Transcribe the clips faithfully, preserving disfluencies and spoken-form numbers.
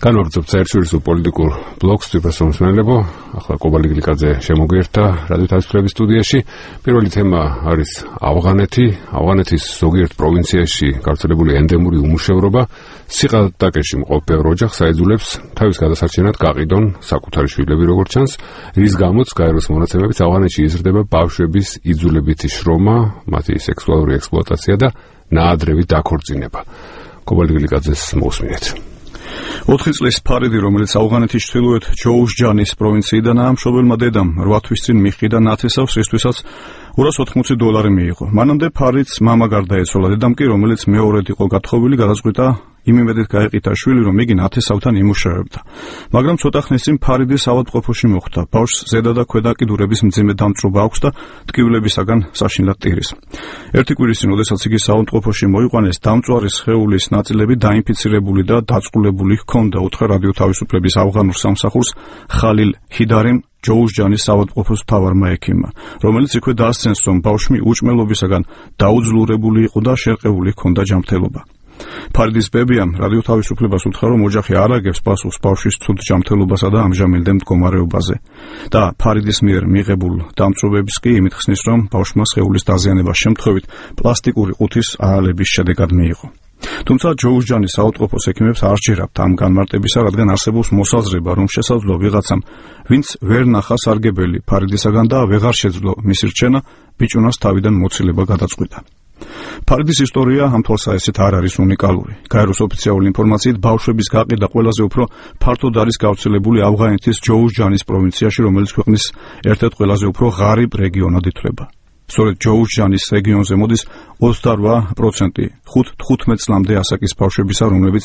განვაგრძობთ საერთაშორისო პოლიტიკურ ბლოგს თვითმსმენელებო, ახლა კობალი გლიკაძე შემოგვიერთდა რადიო თავისუფლების სტუდიაში. პირველი თემა არის ავღანეთი, ავღანეთის ზოგიერთ პროვინციაში გავრცელებული ენდემური უმუშევრობა. სიღატაკეში მყოფ ბევრ ოჯახს აიძულებს თავის გადასარჩენად გაყიდონ საკუთარი შვილები, როგორც ჩანს, რის გამოც გაეროს მონაცემებით ავღანეთში იზრდება ბავშვების იძულებითი შრომა, მათი სექსუალური ექსპლუატაცია და ნაადრევი დაქორწინება. კობალი გლიკაძეს მოусმინეთ. ოთხი წლის ფარიდი, რომელიც ავღანეთის ჩრდილოეთ ჯოუშჯანის პროვინციიდანაა, მშობელმა დედამ რვა თვის წინ მიჰყიდა ნათესავს, რისთვისაც ორას ოთხმოცი დოლარი მიიღო. მანამდე ფარიდს მამა გარდაეცვალა, დედამ კი, რომელიც მეორედ იყო გათხოვილი, გადაწყვიტა იმ იმედით გაეყიდა შვილი, რომ იგი ნათესავთან იმუშავებდა. მაგრამ ცოტა ხნის წინ ფარიდი საავადმყოფოში მოხვდა. ბავშვს ზედა და ქვედა კიდურების მძიმე დამწვრობა აქვს და ტკივილებისაგან საშინლად ტირის. ერთი კვირის წინ, როდესაც იგი საავადმყოფოში მოიყვანეს, დამწვარი სხეულის ნაწილები დაინფიცირებული და დაწყულებული ჰქონდა. უთხრა რადიო თავისუფლების ავღანურ სამსახურს ხალილ ჰიდარიმ, ჯოუშჯანის საავადმყოფოს მთავარმა ექიმმა, რომელიც იქვე დასცენს, რომ ბავშვი უჭმელობისაგან დაუძლურებული იყო და შერყეული ჰქონდა ჯანმრთელობა. ფარიდის ბებიამ რადიო თავისუფლებას უთხრა, რომ ოჯახი არ აგებს პასუხს ბავშვის ცუდ ჯანმრთელობასა და ამჟამინდელ მდგომარეობაზე და ფარიდის მიერ მიღებულ დამწვრობებს კი იმით ხსნის, რომ ბავშვმა სხეულის დაზიანების შემთხვევით პლასტიკური ყუთის აალების შედეგად მიიღო. თუმცა ჯოუშჯანის საავადმყოფოს ექიმებს არ სჯერათ ამ განმარტებისა, რადგან არსებობს მოსაზრება, რომ შესაძლოა ვიღაცამ, ვინც ვერ ნახა სარგებელი ფარიდისაგან და ვეღარ შეძლო მისი რჩენა, ბიჭუნას თავიდან მოცილება გადაწყვიტა. ფარიდის ისტორია ამ თვალსაზრისით არ არის უნიკალური. გაეროს ოფიციალური ინფორმაციით ბავშვების გაყიდვა ყველაზე უფრო ფართოდ არის გავრცელებული ავღანეთის ჯოუშჯანის პროვინციაში, რომელიც ქვეყნის ერთ-ერთ ყველაზე უფრო ღარიბ რეგიონად ითვლება. სწორედ ჯოუშჯანის რეგიონზე მოდის ოცდარვა პროცენტი ხუთ-თხუთმეტ წლამდე ასაკის ბავშვებისა, რომლებიც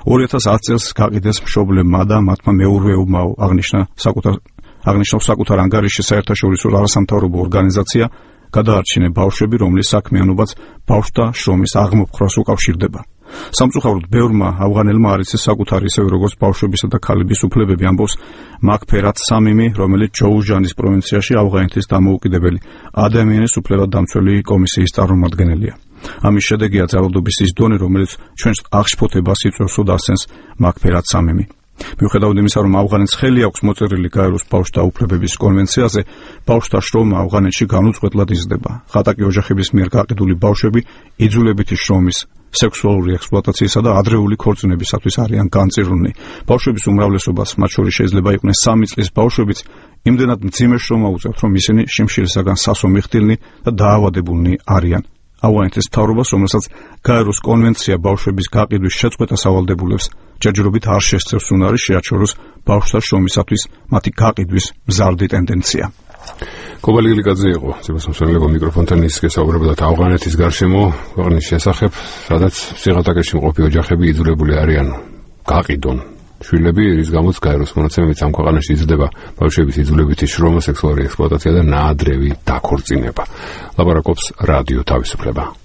ორი ათას ათი წელს გაყიდეს მშობლებმა და მათმა მეურვეობმა, აღნიშნა საკუთარ აღნიშნავს საკუთარ ანგარიშში საერთაშორისო არასამთავრობო ორგანიზაცია გადაარჩინე ბავშვები, რომლის საქმიანობაც ბავშვთა შრომის აღმოფხვრას უკავშირდება. სამწუხაროდ ბევრმა ავღანელმა არ იცის საკუთარი, ისევე როგორც ბავშვებისა და ქალების უფლებები, ამბობს მაქფერათ სამიმი, რომელიც ჯოუშჯანის პროვინციაში ავღანეთის დამოუკიდებელი ადამიანის უფლებადამცველი კომისიის წარმომადგენელია. ამის შედეგია ძალადობის ის დონე, რომელიც ჩვენს აღშფოთებას იწვევს, დასცენს მაქფერათ სამიმი. მიუხედავად იმისა, რომ ავღანეთს ხელი აქვს მოწერილი გაეროს ბავშვთა უფლებების კონვენციაზე, ბავშვთა შრომა ავღანეთში განუწყვეტლად იზრდება. ხატაკი ოჯახების მიერ გაყიდული ბავშვები იძულებითი შრომის, სექსუალური ექსპლუატაციისა და ადრეული ქორწინებისათვის არიან განწირულნი. ბავშვების უმრავლესობას, მათ შორის შეიძლება იყვნენ სამი წლის ბავშვებიც, იმდენად მძიმე შრომა უწევთ, რომ ისინი შიმშილისაგან სასომიხდილნი და დაავადებულნი არიან. ავღანეთის მთავრობას, რომელსაც გაეროს კონვენცია ბავშვების გაყიდვის შეწყვეტას ავალდებულებს, ჯერჯერობით არ შესწევს უნარი შეაჩეროს ბავშვთა შრომისათვის მათი გაყიდვის მზარდი ტენდენცია. კობალი გლიკაძე იყო თვითმსმენელებო, მიკროფონთან ის გესაუბრებოდათ ავღანეთის გარშემო ქვეყნის შესახებ, სადაც სიღატაკეში მყოფი ოჯახები იძულებული არიან გაყიდონ შვილები, რის გამოც გაეროს მონაცემებით ამ ქვეყანაში იზრდება ბავშვების იძულებითი შრომა, სექსუალური ექსპლუატაცია და ნაადრევი დაქორწინება. ლაპარაკობს რადიო თავისუფლება.